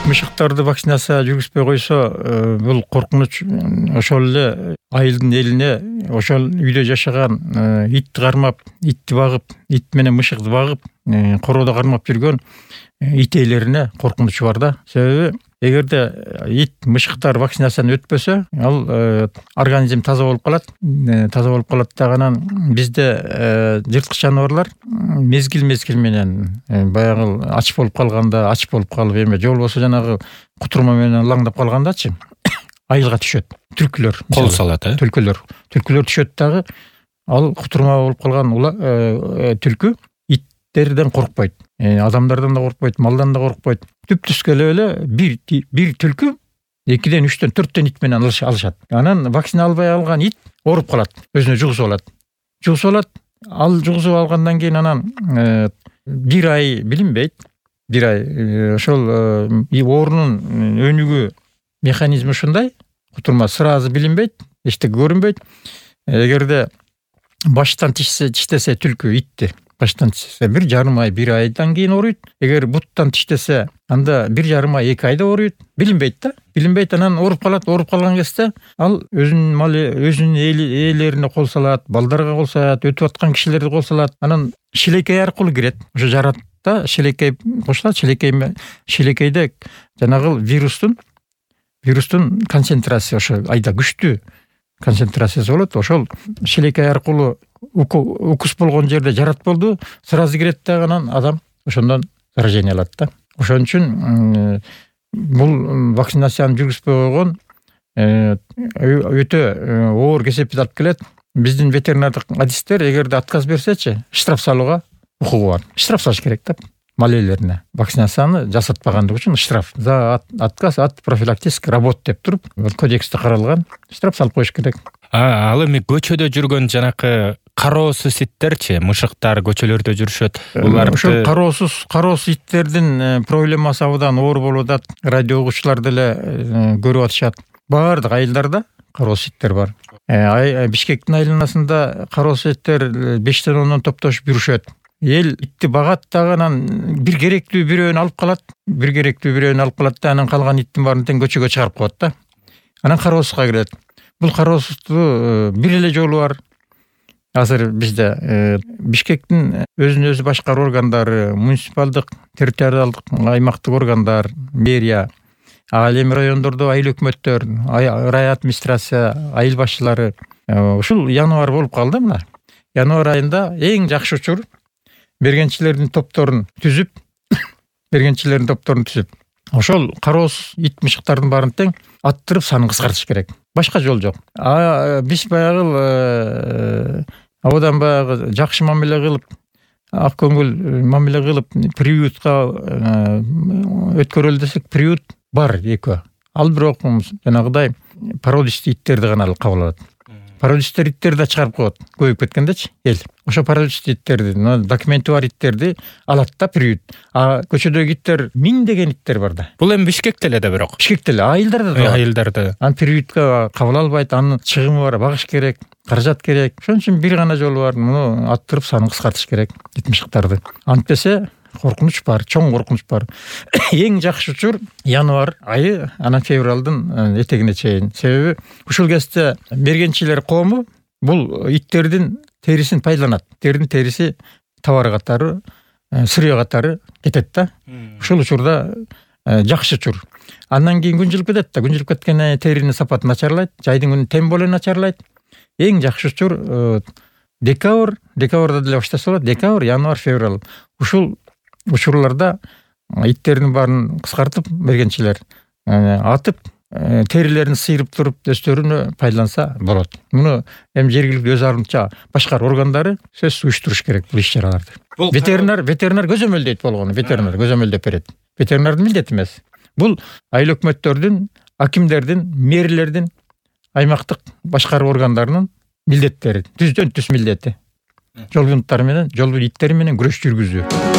Мышыктарды вакцинация жүргүзбөй койсо, бул коркунуч ошол эле айылдын элине, ошол үйдө жашаган итти кармап, итти багып, ит менен мышыкты багып, короодо кармап жүргөн ит ээлерине коркунуч бар да. Себеби эгерде ит, мышыктар вакцинацияны өтпөсө, ал организм таза болуп калат. Таза болуп калат дагынан бизде жырткыч жаныбарлар мезгил менен баягы ач болуп калганда, ач болуп калып эме же болбосо жанагы кутурма менен лаңдап калгандачы айылга түшөт. Түлкүлөр кол салат, Түлкүлөр түшөт дагы. Ал кутурма болуп калган түлкү иттерден коркпойт. Адамдардан да коркпойт, малдан да коркпойт. Түп-түз келип эле бир түлкү 2ден 3тен 4тен ит менен алышат. Анан вакцина албай алган ит ооруп калат, өзүнө жугузуп алат. Ал жугузуп алгандан кийин анан 1 ай билинбейт. 1 ай ошол оорунун өнүгүү механизми ушундай. Кутурма сразу билинбейт, эчтеке көрүнбөйт. Эгерде баштан тиштесе түлкү итти, баштан тиштесе 1,5 ай, 1 айдан кийин ооруйт. Эгер буттан тиштесе, анда 1,5 ай, 2 айда ооруйт. Билинбейт да. Билинбейт, анан ооруп калат. Ооруп калган кезде ал өзүнүн ээлерине кол салат, балдарга кол салат, өтүп аткан кишилерди кол салат. Анан шилекей аркылуу кирет. Ошо жаратта шилекей кошулат. Шилекейде жанагы вирустун концентрациясы ошо айда күчтүү концентрациясы болот. Ошол шилекей аркылуу укус болгон жерде жарат болду, сразу кирет дагы, анан адам ошондон заражение алат да. Ошон үчүн бул вакцинацияны жүргүзбөй койгон өтө оор кесепет алып келет. Биздин ветеринардык адистер эгерде отказ берсечи, штраф салууга укугу бар. Штраф салыш керек да. Мал ээлерине вакцинацияны жасатпагандыгы үчүн штраф за отказ от профилактических работ деп туруп, кодексте каралган. Штраф салып коюш керек. Ал эми көчөдө жүргөн жанакы кароосуз itтерчи, мышыктар көчөлөрдө жүрүшөт. Ошол кароосуз иттердин проблемасы абдан оор болуп атат. Радио угуучулар деле көрүп атышат. Баардык айылдарда кароосуз иттер бар. Бишкектин айланасында кароосуз иттер 5тен 10дон топтошуп жүрүшөт. Эл итти багат дагы, анан бир керектүү бирөөнү алып калат. Да, анан калган иттин баарын тең көчөгө чыгарып коет да. Анан кароосузга кирет. Бул кароосуздуу бир эле жолу бар. Азыр бизде Бишкектин өзүн өзү башкаруу органдары, муниципалдык, территориалдык, аймактык органдар, мэрия, ал эми райондордо айыл өкмөттөр, рай администрация, айыл башчылары ушул январь болуп калды мына. Январь айында эң жакшы учур бергенчилердин топторун түзүп, ошол кароосуз ит, мышыктардын баарын тең аттырып санын кыскартыш керек. Башка жол жок. Биз баягы абдан баягы жакшы мамиле кылып, ак көңүл мамиле кылып, приютка өткөрөлү десек, приют бар экөө. Ал бирок жанагыдай породистий иттерди гана кабыл алат. Породистер иттерди да чыгарып коет, көбөйүп кеткендечи эл. Ошо породистер иттерди, документи бар иттерди алат да приют. Көчөдөгү иттер миңдеген иттер бар да. Бул эми Бишкекте эле да бирок. Бишкекте эле, айылдарда да. Айылдарда. Аны приютка кабыл албайт, анын чыгымы бар, багыш керек, каражат керек. Ошон үчүн бир гана жолу бар, муну аттырып санын кыскартыш керек ит, мышыктарды. Антпесе коркунуч бар, чоң коркунуч бар. Эң жакшы учур январь айы, анан февралдын этегине чейин. Себеби ушул кезде мергенчилер коому бул иттердин терисин пайдаланат. Иттердин териси товар катары, сырье катары кетет да. Ушул учурда жакшы учур. Андан кийин күн жылып кетет да. Күн жылып кеткенде теринин сапаты начарлайт, жайдын күнү тем более начарлайт. Эң жакшы учур декабрда деле баштаса болот. Декабрь, январь, февраль. Ушул учурларда иттердин баарын кыскартып бергенчилер атып, терилерин сыйрып туруп өздөрүнө пайдаланса болот. Муну эми жергиликтүү өз арымча башкаруу органдары сөзсүз уюштуруш керек бул иш-чараларды. Ветеринар көзөмөлдөйт болгону, ветеринар көзөмөлдөп берет. Ветеринардын милдети эмес. Бул айыл өкмөттөрдүн, акимдердин, мэрлердин, аймактык башкаруу органдарынын милдеттери, түздөн түз милдети. Жол иттери менен күрөш жүргүзүү.